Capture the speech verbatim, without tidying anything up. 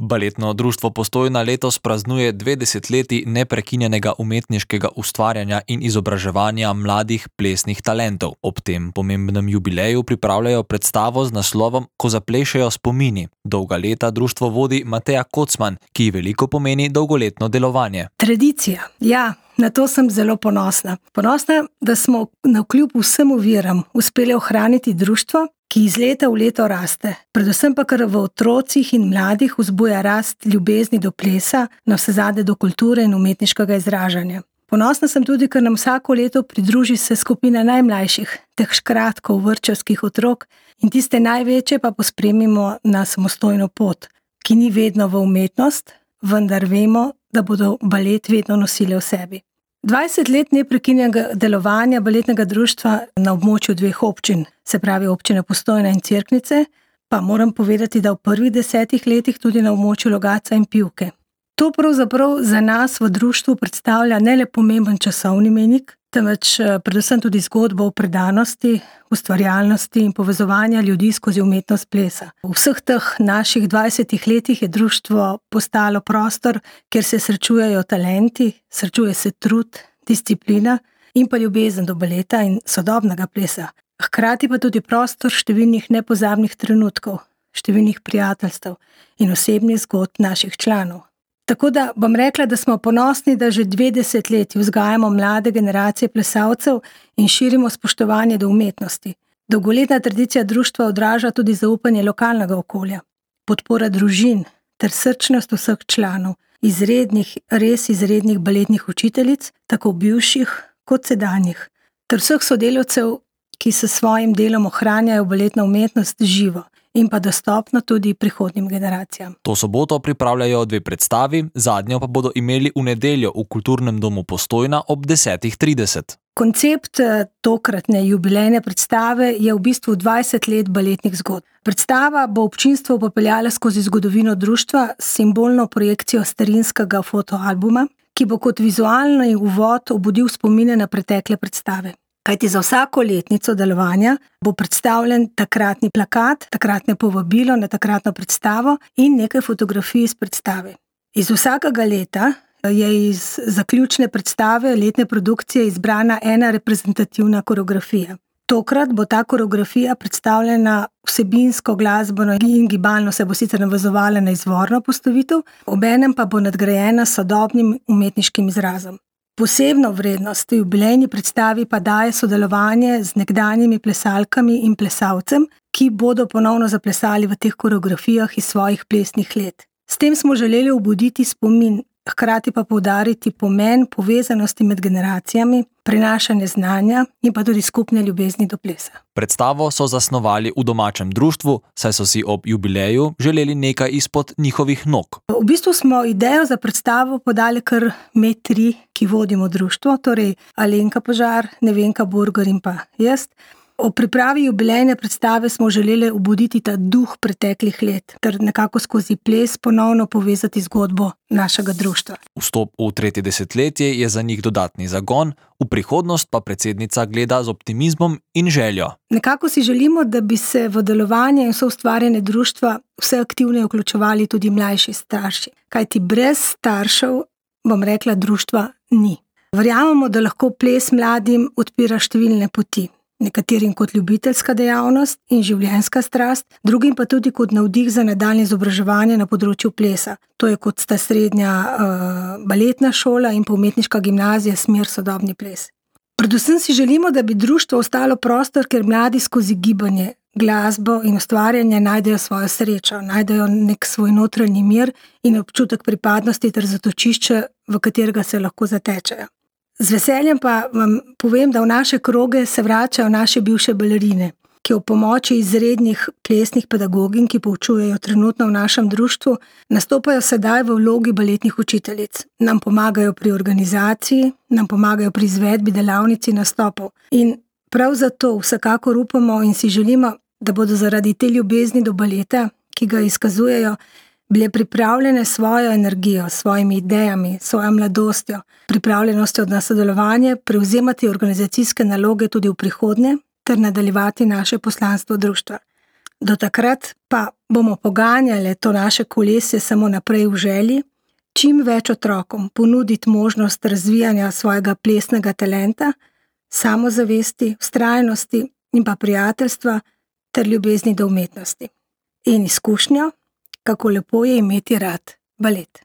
Baletno društvo Postojna letos praznuje dve desetletji neprekinjenega umetniškega ustvarjanja in izobraževanja mladih plesnih talentov. Ob tem pomembnem jubileju pripravljajo predstavo z naslovom Ko zaplešejo spomini. Dolga leta društvo vodi Mateja Kocman, ki veliko pomeni dolgoletno delovanje. Tradicija, ja. Na to sem zelo ponosna. Ponosna, da smo navkljub vsem oviram uspeli ohraniti društvo, ki iz leta v leto raste. Predvsem pa kar v otrocih in mladih vzbuja rast ljubezni do plesa, navsezadnje do kulture in umetniškega izražanja. Ponosna sem tudi, ker nam vsako leto pridruži se skupina najmlajših, teh škratkov, vrtčevskih otrok in tiste največje pa pospremimo na samostojno pot, ki ni vedno v umetnost, vendar vemo, da bodo balet vedno nosili v sebi. dvajset let neprekinjenega delovanja baletnega društva na območju dveh občin, se pravi občine Postojna in Cerknice, pa moram povedati, da v prvih desetih letih tudi na območju Logatca in Pivke. To pravzaprav za nas v društvu predstavlja ne le pomemben časovni mejnik, temveč predvsem tudi zgodbo o predanosti, ustvarjalnosti in povezovanja ljudi skozi umetnost plesa. V vseh teh naših dvajsetih letih je društvo postalo prostor, kjer se srečujejo talenti, srečuje se trud, disciplina in pa ljubezen do baleta in sodobnega plesa. Hkrati pa tudi prostor številnih nepozabnih trenutkov, številnih prijateljstev in osebnih zgodb naših članov. Tako da bom rekla, da smo ponosni, da že dve desetletji vzgajamo mlade generacije plesalcev in širimo spoštovanje do umetnosti. Dolgoletna tradicija društva odraža tudi zaupanje lokalnega okolja, podpora družin ter srčnost vseh članov, izrednih, res izrednih baletnih učiteljic, tako bivših kot sedanjih, ter vseh sodelavcev, ki s svojim delom ohranjajo baletno umetnost živo in pa dostopno tudi prihodnjim generacijam. To soboto pripravljajo dve predstavi, zadnjo pa bodo imeli v nedeljo v Kulturnem domu Postojna ob desetih trideset. Koncept tokratne jubilejne predstave je v bistvu dvajset let baletnih zgodb. Predstava bo občinstvo popeljala skozi zgodovino društva s simbolno projekcijo starinskega fotoalbuma, ki bo kot vizualni uvod obudil spomine na pretekle predstave. Kajti za vsako letnico delovanja bo predstavljen takratni plakat, takratne povabilo na takratno predstavo in nekaj fotografij iz predstave. Iz vsakega leta je iz zaključne predstave letne produkcije izbrana ena reprezentativna koreografija. Tokrat bo ta koreografija predstavljena vsebinsko, glasbeno in gibalno, se bo sicer navezovala na izvorno postavitev, obenem pa bo nadgrajena s sodobnim umetniškim izrazom. Posebno vrednost v jubilejni predstavi pa daje sodelovanje z nekdanjimi plesalkami in plesalcem, ki bodo ponovno zaplesali v teh koreografijah iz svojih plesnih let. S tem smo želeli obuditi spomin, hkrati pa poudariti pomen povezanosti med generacijami, prenašanje znanja in pa tudi skupne ljubezni do plesa. Predstavo so zasnovali v domačem društvu, saj so si ob jubileju želeli nekaj izpod njihovih nog. V bistvu smo idejo za predstavo podali kar me tri, ki vodimo društvo, torej Alenka Požar, Nevenka Burger in pa jaz. O pripravi jubilejne predstave smo želeli obuditi ta duh preteklih let, ter nekako skozi ples ponovno povezati zgodbo našega društva. Vstop v tretje desetletje je za njih dodatni zagon, v prihodnost pa predsednica gleda z optimizmom in željo. Nekako si želimo, da bi se v delovanje in soustvarjanje društva vse aktivneje vključevali tudi mlajši starši. Kajti brez staršev, bom rekla, društva ni. Verjamemo, da lahko ples mladim odpira številne poti. Nekaterim kot ljubiteljska dejavnost in življenjska strast, drugim pa tudi kot navdih za nadaljnje izobraževanje na področju plesa. To je kot sta srednja uh, baletna šola in pa umetniška gimnazija smer sodobni ples. Predvsem si želimo, da bi društvo ostalo prostor, kjer mladi skozi gibanje, glasbo in ustvarjanje najdejo svojo srečo, najdejo nek svoj notranji mir in občutek pripadnosti ter zatočišče, v katerega se lahko zatečejo. Z veseljem pa vam povem, da v naše kroge se vračajo naše bivše balerine, ki v pomoči izrednih plesnih pedagogin, ki poučujejo trenutno v našem društvu, nastopajo sedaj v vlogi baletnih učiteljic. Nam pomagajo pri organizaciji, nam pomagajo pri izvedbi delavnic in nastopov. In prav zato vsekakor upamo in si želimo, da bodo zaradi te ljubezni do baleta, ki ga izkazujejo, bile pripravljene svojo energijo, svojimi idejami, svojo mladostjo, pripravljenostjo na sodelovanje, prevzemati organizacijske naloge tudi v prihodnje ter nadaljevati naše poslanstvo društva. Do takrat pa bomo poganjali to naše kolesje samo naprej v želji, čim več otrokom ponuditi možnost razvijanja svojega plesnega talenta, samozavesti, vztrajnosti in pa prijateljstva ter ljubezni do umetnosti. In izkušnjo, kako lepo je imeti rad balet.